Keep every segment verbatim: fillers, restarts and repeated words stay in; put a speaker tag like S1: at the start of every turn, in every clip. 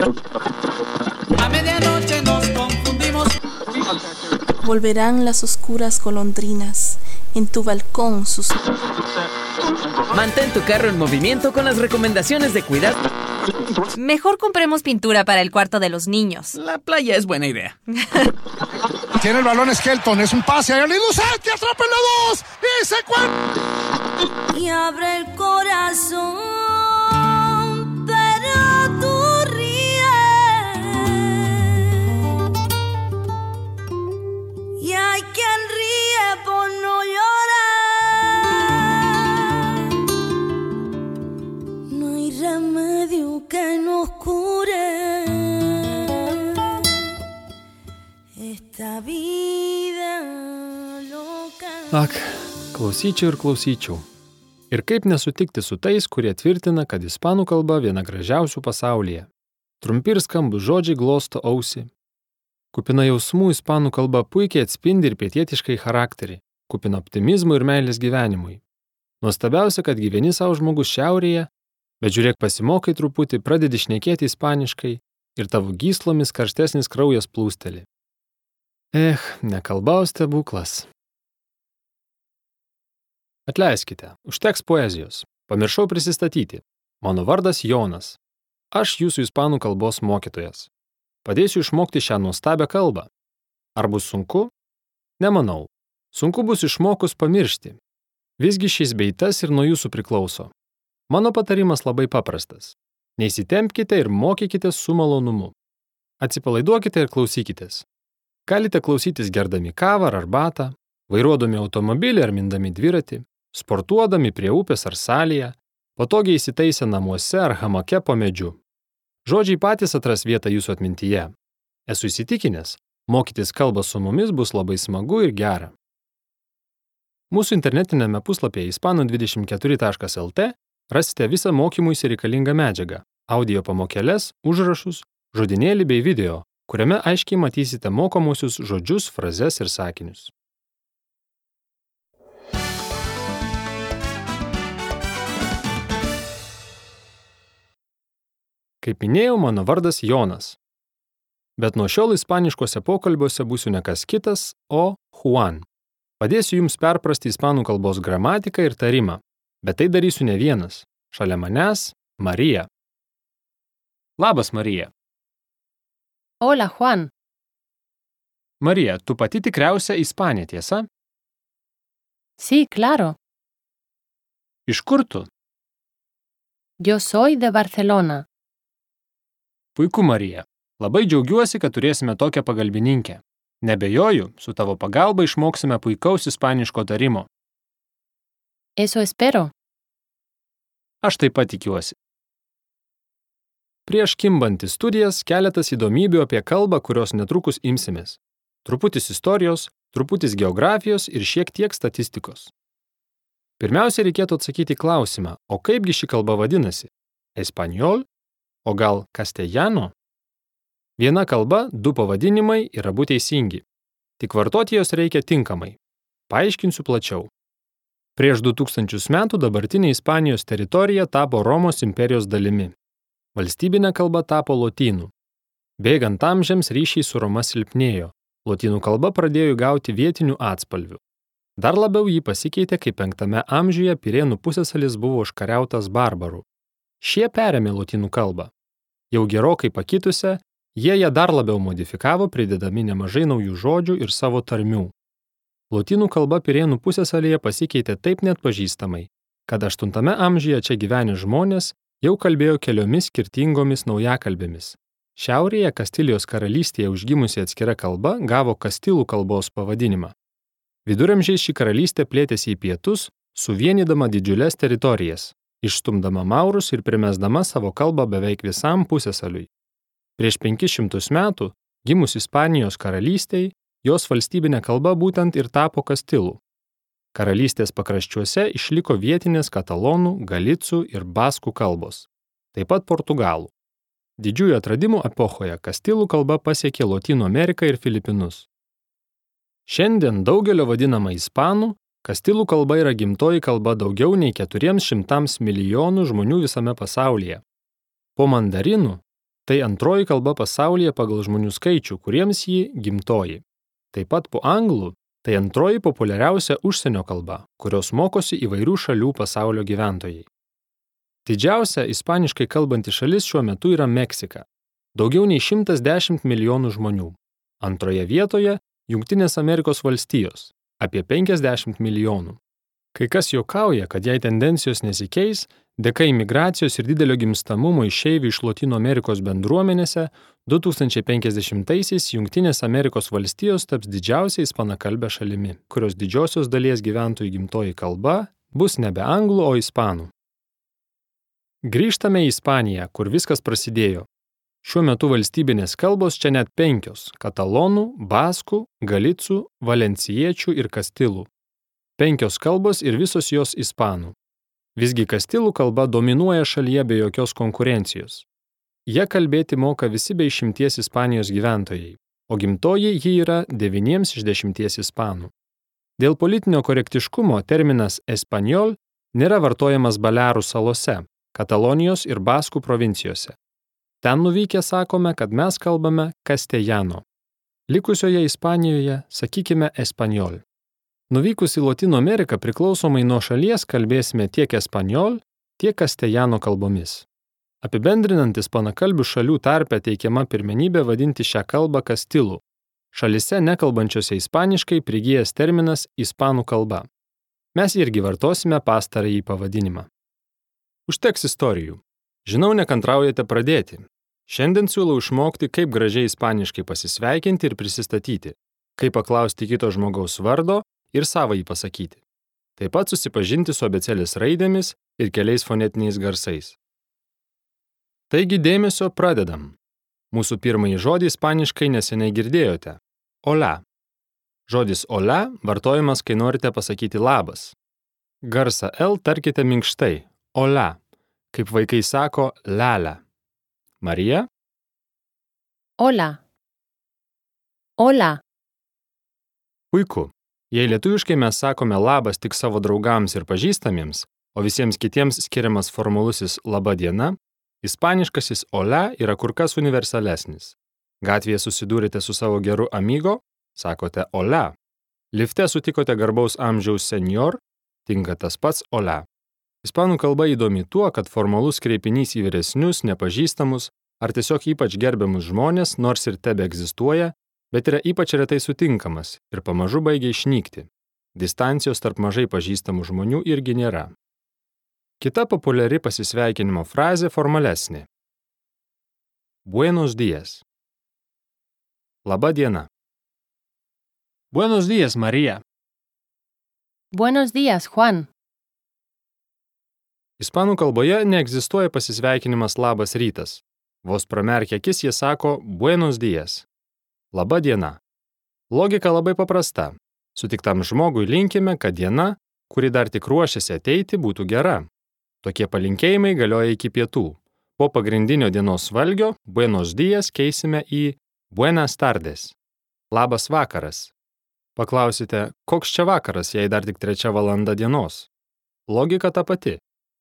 S1: A medianoche nos confundimos.
S2: Volverán las oscuras golondrinas en tu balcón sus...
S3: Mantén tu carro en movimiento con las recomendaciones de cuidar.
S4: Mejor compremos pintura para el cuarto de los niños.
S1: La playa es buena idea.
S5: Tiene el balón Skelton, es un pase a Liduset, que atrapa la dos y se cuenta.
S6: Y abre el corazón, pero tú ríes. Y hay quien ríe por no llorar. No hay remedio que nos cure esta vida loca.
S7: Ak, klausyčiau ir klausyčiau. Ir kaip nesutikti su tais, kurie tvirtina, kad ispanų kalba viena gražiausių pasaulyje. Trumpi ir skambūs žodžiai glosto ausį. Kupina jausmų ispanų kalba puikiai atspindi ir pietietiškai charakterį, kupina optimizmo ir meilės gyvenimui. Nuostabiausia, kad gyveni savo žmogus šiaurėje, bet žiūrėk pasimokai truputį, pradedi šnekėti ispaniškai ir tavo gyslomis karštesnis kraujas plūsteli. Eh, ne kalba, o stebuklas. Atleiskite, užteks poezijos. Pamiršau prisistatyti. Mano vardas Jonas. Aš jūsų ispanų kalbos mokytojas. Padėsiu išmokti šią nuostabią kalbą. Ar bus sunku? Nemanau. Sunku bus išmokus pamiršti. Visgi šis bei tas ir nuo jūsų priklauso. Mano patarimas labai paprastas. Neįsitempkite ir mokykitės su malonumu. Atsipalaiduokite ir klausykitės. Galite klausytis gerdami kavą ar arbatą, vairuodami automobilį ar mindami dviratį, sportuodami prie upės ar salėje, patogiai įsitaisę namuose ar hamake po medžiu. Žodžiai patys atras vietą jūsų atmintyje. Esu įsitikinęs, mokytis kalbą su mumis bus labai smagu ir gera. Mūsų internetinėme puslapyje ispanų dvidešimt keturi taškas el tė rasite visą mokymuisi reikalingą medžiagą, audio pamokėles, užrašus, žodinėlį bei video, kuriame aiškiai matysite mokomusius žodžius, frazes ir sakinius. Kaip minėjau, mano vardas Jonas. Bet nuo šiol ispaniškose pokalbiuose būsiu ne kas kitas, o Juan. Padėsiu jums perprasti ispanų kalbos gramatiką ir tarimą, bet tai darysiu ne vienas. Šalia manęs Marija. Labas, Marija.
S4: Hola, Juan.
S7: Marija, tu pati tikriausia ispanė, tiesa?
S4: Sí, claro.
S7: Iš kur tu?
S4: Yo soy de Barcelona.
S7: Puiku, Marija. Labai džiaugiuosi, kad turėsime tokią pagalbininkę. Nebejoju, su tavo pagalba išmoksime puikaus ispaniško tarimo.
S4: Eso espero.
S7: Aš taip pat tikiuosi. Prieš kimbant į studijas keletas įdomybių apie kalbą, kurios netrukus imsimės. Truputis istorijos, truputis geografijos ir šiek tiek statistikos. Pirmiausia, reikėtų atsakyti klausimą, o kaipgi ši kalba vadinasi? Espanjol? O gal castellano? Viena kalba, du pavadinimai ir abu teisingi. Tik vartoti jos reikia tinkamai. Paaiškinsiu plačiau. Prieš du tūkstančius metų dabartinė Ispanijos teritorija tapo Romos imperijos dalimi. Valstybinė kalba tapo lotynų. Bėgant amžiams ryšiai su Roma silpnėjo. Lotynų kalba pradėjo gauti vietinių atspalvių. Dar labiau jį pasikeitė, kai penktame amžiuje Pirėnų pusiasalis buvo užkariautas barbarų. Šie perėmė lotynų kalbą. Jau gerokai pakitusią, jie ją dar labiau modifikavo, pridedami nemažai naujų žodžių ir savo tarmių. Lotynų kalba Pirėnų pusiasalyje pasikeitė taip neatpažįstamai, kad aštuntame amžiuje čia gyvenę žmonės jau kalbėjo keliomis skirtingomis naujakalbėmis. Šiaurėje Kastilijos karalystėje užgimusi atskira kalba gavo kastilų kalbos pavadinimą. Viduramžiais ši karalystė plėtėsi į pietus, suvienydama didžiules teritorijas, išstumdama maurus ir primesdama savo kalbą beveik visam pusiasaliui. Prieš penkis šimtus metų, gimus Ispanijos karalystei, jos valstybinė kalba būtent ir tapo kastilų. Karalystės pakraščiuose išliko vietinės katalonų, galicų ir baskų kalbos, taip pat portugalų. Didžiųjų atradimų epochoje kastilų kalba pasiekė Lotynų Ameriką ir Filipinus. Šiandien daugelio vadinama ispanų, kastilų kalba yra gimtoji kalba daugiau nei keturiems šimtams milijonų žmonių visame pasaulyje. Po mandarinų, Tai antroji kalba pasaulyje pagal žmonių skaičių, kuriems ji gimtoji. Taip pat po anglų tai antroji populiariausia užsienio kalba, kurios mokosi įvairių šalių pasaulio gyventojai. Didžiausia ispaniškai kalbanti šalis šiuo metu yra Meksika. Daugiau nei šimtas dešimt milijonų žmonių. Antroje vietoje Jungtinės Amerikos valstijos – apie penkiasdešimt milijonų. Kai kas juokauja, kad jei tendencijos nesikeis, dėka imigracijos ir didelio gimstamumo išeivių iš Lotynų Amerikos bendruomenėse, du tūkstančiai penkiasdešimtaisiais Jungtinės Amerikos valstijos taps didžiausia ispanakalbė šalimi, kurios didžiosios dalies gyventojų gimtoji kalba bus nebe anglų, o ispanų. Grįžtame į Ispaniją, kur viskas prasidėjo. Šiuo metu valstybinės kalbos čia net penkios – katalonų, baskų, galicų, valencijiečių ir kastilų. Penkios kalbos ir visos jos ispanų. Visgi kastilų kalba dominuoja šalyje be jokios konkurencijos. Jie kalbėti moka visi be išimties Ispanijos gyventojai, o gimtoji ji yra devyniems iš dešimties ispanų. Dėl politinio korektiškumo terminas espanjol nėra vartojamas Balearų salose, Katalonijos ir Baskų provincijose. Ten nuvykę sakome, kad mes kalbame castellano. Likusioje Ispanijoje sakykime espanjol. Nuvykus į Lotynų Ameriką priklausomai nuo šalies kalbėsime tiek espanjol, tiek castellano kalbomis. Apibendrinant ispanakalbių šalių tarpe teikiama pirmenybė vadinti šią kalbą kastilų. Šalise nekalbančiose ispaniškai prigijęs terminas ispanų kalba. Mes irgi vartosime pastarąjį pavadinimą. Užteks istorijų. Žinau, nekantraujate pradėti. Šiandien siūlau išmokti, kaip gražiai ispaniškai pasisveikinti ir prisistatyti, kaip paklausti kito žmogaus vardo ir savąjį pasakyti. Taip pat susipažinti su abėcėlės raidėmis ir keliais fonetiniais garsais. Taigi dėmesio, pradedam. Mūsų pirmąjį žodį ispaniškai neseniai girdėjote. Hola. Žodis hola vartojamas, kai norite pasakyti labas. Garsą L tarkite minkštai. Hola. Kaip vaikai sako lala. Marija?
S8: Hola. Hola.
S7: Puiku. Jei lietuviškai mes sakome labas tik savo draugams ir pažįstamiems, o visiems kitiems skiriamas formalusis laba diena, ispaniškasis hola yra kur kas universalesnis. Gatvėje susidūrėte su savo geru amigo, sakote hola. Lifte sutikote garbaus amžiaus senior, tinka tas pats hola. Ispanų kalba įdomi tuo, kad formalus kreipinys į vyresnius, nepažįstamus ar tiesiog ypač gerbiamus žmonės, nors ir tebe egzistuoja, bet yra ypač retai sutinkamas ir pamažu baigia išnykti. Distancijos tarp mažai pažįstamų žmonių irgi nėra. Kita populiari pasisveikinimo frazė formalesnė. Buenos días. Laba diena.
S1: Buenos días, María.
S8: Buenos días, Juan.
S7: Ispanų kalboje neegzistuoja pasisveikinimas labas rytas. Vos pramerkę akis jie sako buenos días. Laba diena. Logika labai paprasta. Sutiktam žmogui linkime, kad diena, kuri dar tik ruošiasi ateiti, būtų gera. Tokie palinkėjimai galioja iki pietų. Po pagrindinio dienos valgio buenos días keisime į buenas tardes. Labas vakaras. Paklausite, koks čia vakaras, jei dar tik trečia valanda dienos? Logika ta pati.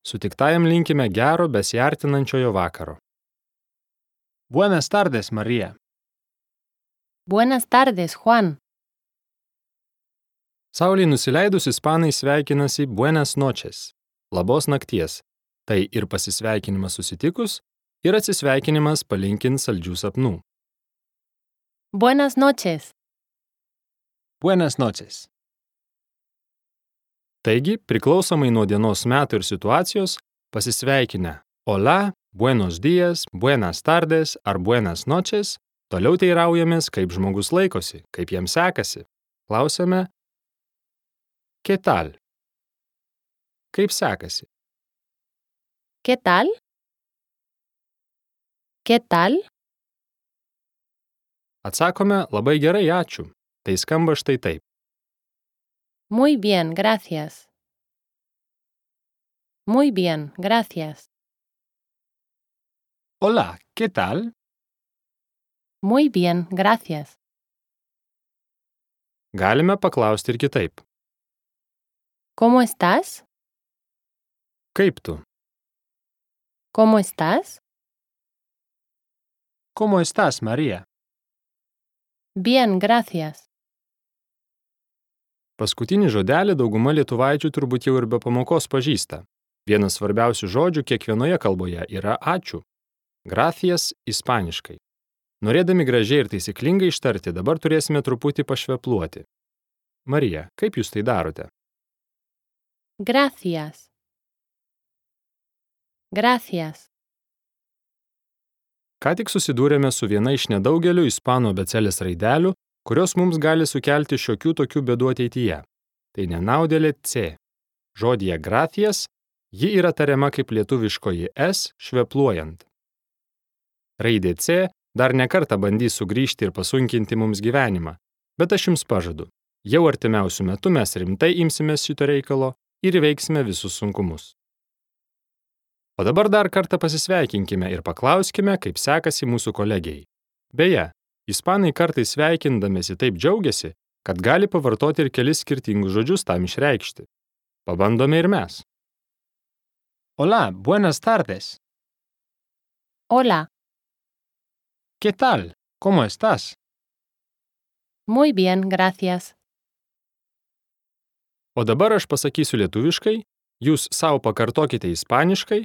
S7: Sutiktajam linkime gero besiartinančiojo vakaro.
S1: Buenas tardes, María.
S8: Buenas tardes, Juan.
S7: Saulei nusileidus ispanai sveikinasi buenas noches, labos nakties. Tai ir pasisveikinimas susitikus, ir atsisveikinimas palinkint saldžių sapnų.
S8: Buenas noches.
S1: Buenas noches.
S7: Taigi, priklausomai nuo dienos metų ir situacijos, pasisveikinę hola, buenos días, buenas tardes ar buenas noches, toliau teiraujamės, kaip žmogus laikosi, kaip jam sekasi. Klausiame, ¿qué tal? Kaip sekasi?
S8: ¿Qué tal? ¿Qué tal?
S7: Atsakome, labai gerai, ačiū. Tai skamba štai taip.
S8: Muy bien, gracias. Muy bien, gracias.
S1: Hola, ¿qué tal?
S8: Muy bien, gracias.
S7: Galime paklausti ir kitaip.
S8: ¿Cómo estás?
S7: Kaip tu?
S8: ¿Cómo estás?
S1: ¿Cómo estás, María?
S8: Bien, gracias.
S7: Paskutinį žodelį dauguma lietuvaičių turbūt jau ir be pamokos pažįsta. Vienas svarbiausių žodžių kiekvienoje kalboje yra ačiū. Gracias ispaniškai. Norėdami gražiai ir taisyklingai ištarti, dabar turėsime truputį pašvepluoti. Marija, kaip jūs tai darote?
S8: Gracias. Gracias.
S7: Ką tik susidūrėme su viena iš nedaugelio ispanų abėcėlės raidelių, kurios mums gali sukelti šiokių tokių bėdų ateityje. Tai nenaudėlė C. Žodyje gracias ji yra tariama kaip lietuviškoji S švepluojant. Raidė C dar nekartą bandys sugrįžti ir pasunkinti mums gyvenimą, bet aš jums pažadu, jau artimiausių metų mes rimtai imsimės šito reikalo ir įveiksime visus sunkumus. O dabar dar kartą pasisveikinkime ir paklauskime, kaip sekasi mūsų kolegijai. Beje, ispanai kartais sveikindamėsi taip džiaugiasi, kad gali pavartoti ir kelis skirtingus žodžius tam išreikšti. Pabandome ir mes.
S1: Hola, buenas tardes.
S8: Hola.
S1: ¿Qué tal? ¿Cómo estás?
S8: Muy bien, gracias.
S7: O dabar aš pasakysiu lietuviškai, jūs savo pakartokite ispaniškai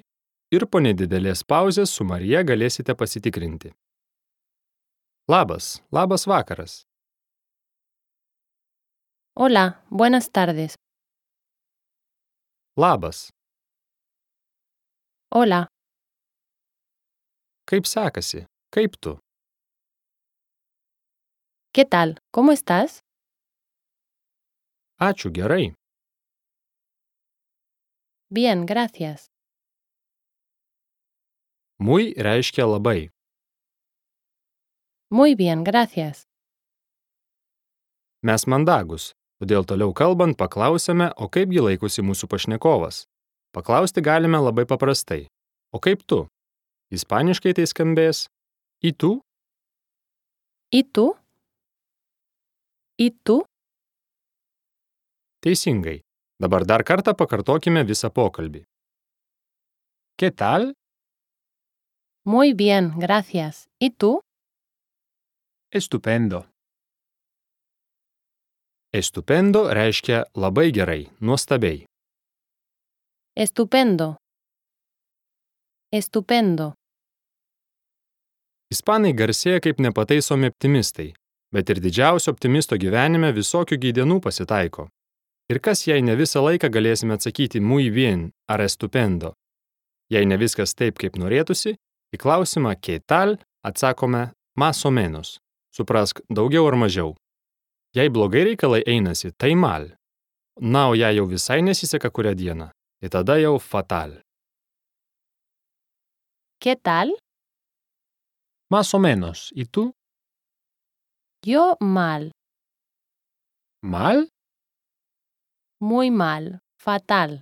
S7: ir po nedidelės pauzės su Marija galėsite pasitikrinti. Labas, labas vakaras.
S8: Hola, buenas tardes.
S7: Labas.
S8: Hola.
S7: Kaip sekasi? Kaip tu?
S8: ¿Qué tal? ¿Cómo estás?
S7: Ačiū, gerai.
S8: Bien, gracias.
S7: Muy reiškia labai.
S8: Muy bien, gracias.
S7: Mes mandagus, todėl toliau kalbant paklausėme, o kaipgi laikosi mūsų pašnekovas. Paklausti galime labai paprastai. O kaip tu? Ispaniškai tai skambės ¿y tú?
S8: ¿Y tú? ¿Y tú?
S7: Teisingai. Dabar dar kartą pakartokime visą pokalbį.
S1: ¿Qué tal?
S8: Muy bien, gracias. ¿Y tú?
S1: Estupendo.
S7: Estupendo reiškia labai gerai, nuostabiai.
S8: Estupendo. Estupendo.
S7: Ispanai garsėja kaip nepataisomi optimistai, bet ir didžiausio optimisto gyvenime visokių gydienų pasitaiko. Ir kas, jei ne visą laiką galėsime atsakyti muy bien ar estupendo? Jei ne viskas taip, kaip norėtųsi, į klausimą ¿qué tal? Atsakome más o menos. Suprask, daugiau ar mažiau. Jei blogai reikalai einasi, tai mal. Na, o jei jau visai nesiseka kurią dieną, tai tada jau fatal.
S8: ¿Qué tal?
S1: Más o menos. ¿Y tú?
S8: Yo mal.
S1: ¿Mal?
S8: Muy mal. Fatal.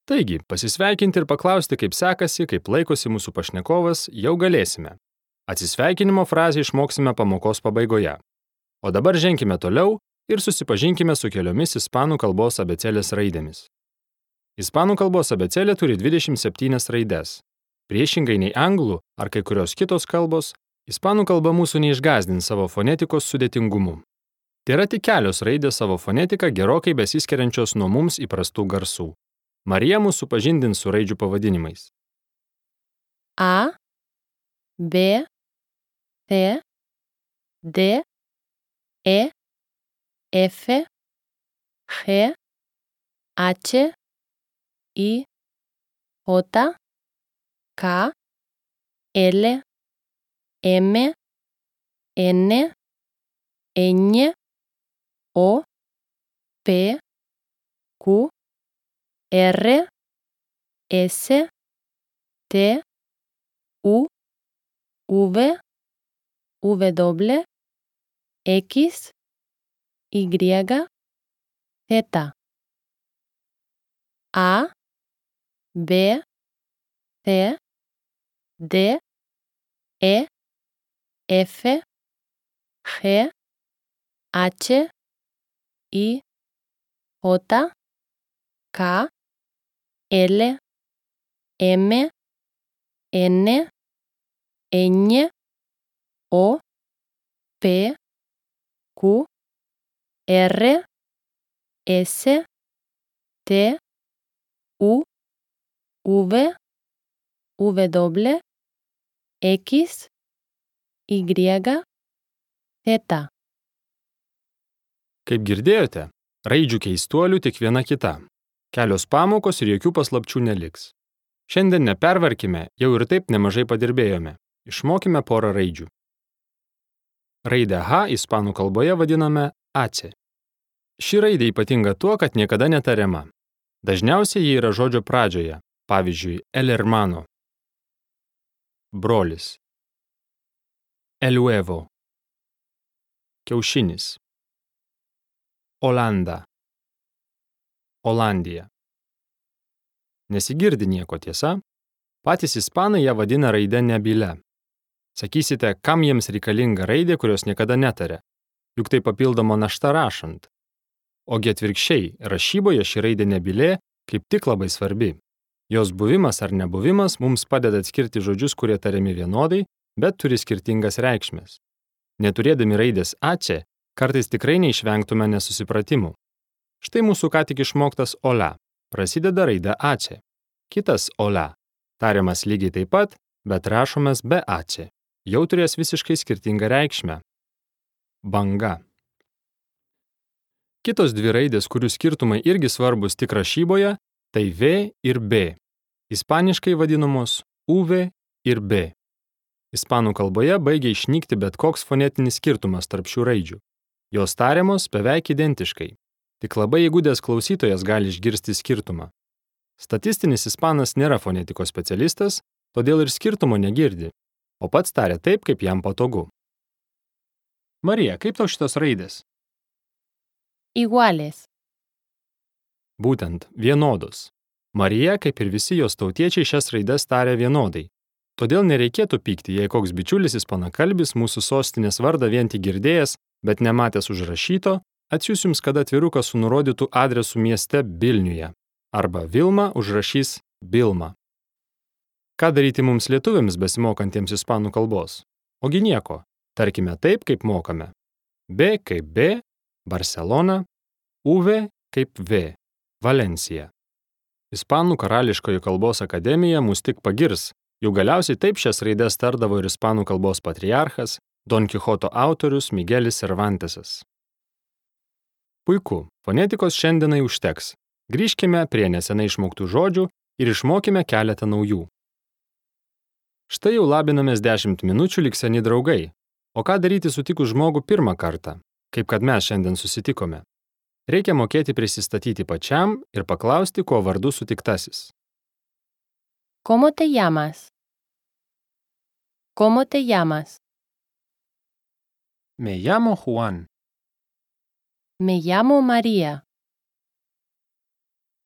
S7: Taigi, pasisveikinti ir paklausti, kaip sekasi, kaip laikosi mūsų pašnekovas, jau galėsime. Atsisveikinimo frazę išmoksime pamokos pabaigoje. O dabar ženkime toliau ir susipažinkime su keliomis ispanų kalbos abėcėlės raidėmis. Ispanų kalbos abėcėlė turi dvidešimt septynias raides. Priešingai nei anglų ar kai kurios kitos kalbos, ispanų kalba mūsų neišgąsdins savo fonetikos sudėtingumu. Tai yra tik kelios raidės savo fonetiką gerokai besiskiriančios nuo mums įprastų garsų. Marija mūsų supažindins su raidžių pavadinimais.
S8: A, B, C, D, E, F, G, H, I, J, K, L, M, N, Ñ, O, P, Q, R, S, T, U, V, W, X, Y, Z. A, B, C, D, E, F, G, H, I, J, K, L, M, N, Ñ, O, P, Q, R, S, T, U, V, W, X, Y, Z.
S7: Kaip girdėjote, raidžių keistuolių tik viena kita. Kelios pamokos ir jokių paslapčių neliks. Šiandien nepervarkime, jau ir taip nemažai padirbėjome. Išmokime porą raidžių. Raidę H ispanų kalboje vadiname AC. Ši raidė ypatinga tuo, kad niekada netariama. Dažniausiai ji yra žodžio pradžioje, pavyzdžiui, el hermano. Brolis. El huevo. Kiaušinis. Olanda. Olandija. Nesigirdi nieko, tiesa? Patys ispanai ją vadina raide nebyle. Sakysite, kam jiems reikalinga raidė, kurios niekada netaria? Juk tai papildoma našta rašant. Ogi atvirkščiai, rašyboje ši raidė nebylė kaip tik labai svarbi. Jos buvimas ar nebuvimas mums padeda atskirti žodžius, kurie tariami vienodai, bet turi skirtingas reikšmes. Neturėdami raidės AC, kartais tikrai neišvengtume nesusipratimų. Štai mūsų ką tik išmoktas ola. Prasideda raidė AC. Kitas ola. Tariamas lygiai taip pat, bet rašomas be AC. Jau turės visiškai skirtingą reikšmę. Banga. Kitos dvi raidės, kurių skirtumai irgi svarbus tik rašyboje, tai V ir B. Ispaniškai vadinamos U V ir B. Ispanų kalboje baigia išnykti bet koks fonetinis skirtumas tarp šių raidžių. Jos tariamos beveik identiškai. Tik labai įgudęs klausytojas gali išgirsti skirtumą. Statistinis ispanas nėra fonetikos specialistas, todėl ir skirtumo negirdi, o pats taria taip, kaip jam patogu. Marija, kaip tau šitos raidės?
S8: Iguales.
S7: Būtent, vienodos. Marija, kaip ir visi jos tautiečiai, šias raides taria vienodai. Todėl nereikėtų pykti, jei koks bičiulis ispanakalbis mūsų sostinės vardą vien tik girdėjęs, bet nematęs užrašyto, atsiųs jums kada atviruką su nurodytų adresu mieste Vilniuje. Arba Vilma užrašys Bilma. Ką daryti mums lietuviams besimokantiems ispanų kalbos? Ogi nieko, tarkime taip, kaip mokame. B kaip B, Barcelona, U V kaip V, Valencija. Ispanų karališkoji kalbos akademija mus tik pagirs, jau galiausiai taip šias raides tardavo ir ispanų kalbos patriarchas, Don Kichoto autorius Migelis Cervantesas. Puiku, fonetikos šiandienai užteks. Grįžkime prie nesenai išmoktų žodžių ir išmokime keletą naujų. Štai jau labinamės dešimt minučių lyg seni draugai. O ką daryti sutikus žmogų pirmą kartą, kaip kad mes šiandien susitikome? Reikia mokėti prisistatyti pačiam ir paklausti, kuo vardu sutiktasis.
S8: ¿Cómo te llamas? ¿Cómo te llamas?
S1: Me llamo Juan.
S8: Me llamo María.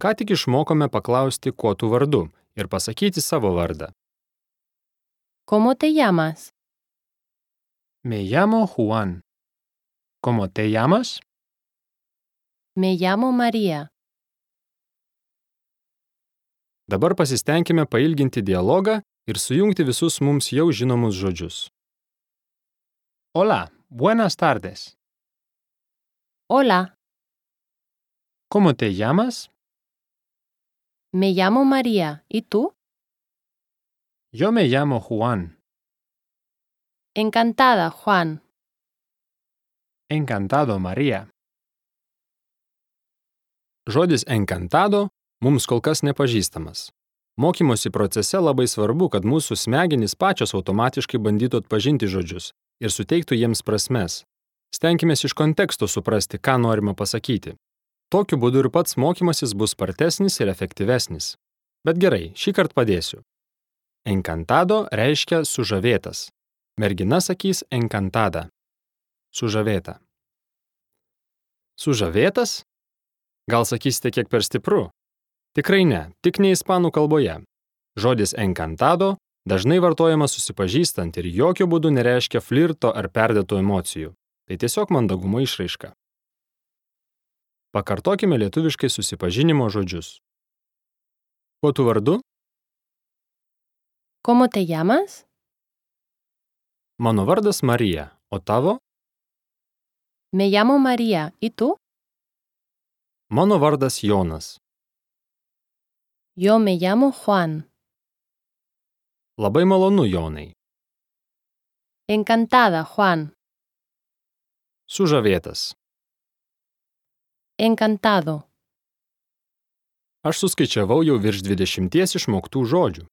S7: Ką tik išmokome paklausti, kuo tu vardu ir pasakyti savo vardą.
S8: ¿Cómo te llamas?
S1: Me llamo Juan. ¿Cómo te llamas?
S8: Me llamo María.
S7: Dabar pasistengime pailginti dialogą ir sujungti visus mums jau žinomus žodžius.
S1: Hola, buenas tardes.
S8: Hola,
S1: ¿Cómo te llamas?
S8: me llamo María. ¿Y tú?
S1: Yo me llamo Juan.
S8: Encantada, Juan.
S1: Encantado, María.
S7: Žodis encantado mums kol kas nepažįstamas. Mokymosi procese labai svarbu, kad mūsų smegenys pačios automatiškai bandytų atpažinti žodžius ir suteiktų jiems prasmes. Stenkimės iš konteksto suprasti, ką norima pasakyti. Tokiu būdu ir pats mokymasis bus spartesnis ir efektyvesnis. Bet gerai, šį kartą padėsiu. Encantado reiškia sužavėtas. Mergina sakys encantada. Sužavėta. Sužavėtas? Gal sakysite kiek per stipru? Tikrai ne, tik ne ispanų kalboje. Žodis encantado dažnai vartojamas susipažįstant ir jokių būdų nereiškia flirto ar perdėtų emocijų. Tai tiesiog mandagumo išraiška. Pakartokime lietuviškai susipažinimo žodžius. Kuo tu vardu?
S8: ¿Cómo te llamas?
S7: Mano vardas Marija, o tavo?
S8: Me llamo María. ¿Y tú?
S7: Mano vardas Jonas.
S8: Yo me llamo Juan.
S7: Labai malonu, Jonai.
S8: Encantada, Juan.
S7: Sužavėtas.
S8: Encantado.
S7: Aš suskaičiavau jau virš dvidešimties išmoktų žodžių.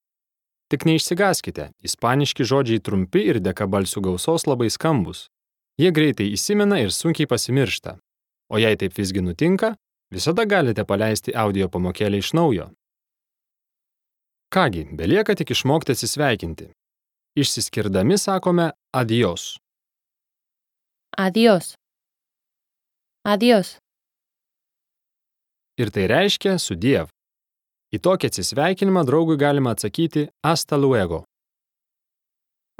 S7: Tik neišsigąskite, ispaniški žodžiai trumpi ir dėka balsių gausos labai skambus. Jie greitai įsimena ir sunkiai pasimiršta. O jei taip visgi nutinka, visada galite paleisti audio pamokėlę iš naujo. Kągi, belieka tik išmokti atsisveikinti. Išsiskirdami sakome adios.
S8: Adiós. Adiós.
S7: Ir tai reiškia sudiev. Į tokį atsisveikinimą draugui galima atsakyti hasta luego.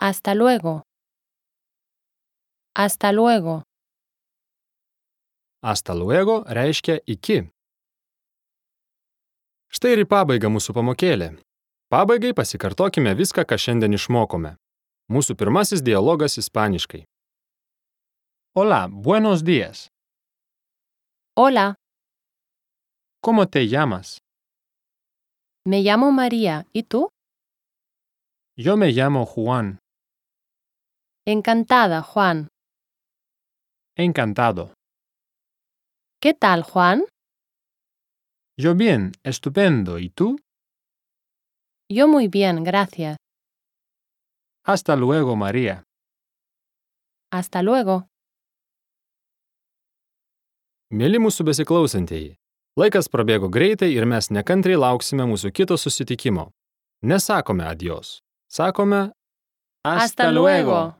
S8: Hasta luego. Hasta luego.
S7: Hasta luego reiškia iki. Štai ir į pabaigą mūsų pamokėlė. Pabaigai pasikartokime viską, ką šiandien išmokome. Mūsų pirmasis dialogas ispaniškai.
S1: Hola, buenos días.
S8: Hola,
S1: ¿Cómo te llamas?
S8: me llamo María. ¿Y tú?
S1: Yo me llamo Juan.
S8: Encantada, Juan.
S1: Encantado.
S8: ¿Qué tal, Juan?
S1: Yo bien, estupendo. ¿Y tú?
S8: Yo muy bien, gracias.
S1: Hasta luego, María.
S8: Hasta luego.
S7: Mėly mūsų besiklausantieji, laikas prabėgo greitai ir mes nekantriai lauksime mūsų kito susitikimo. Nesakome adios, sakome
S8: Hasta luego.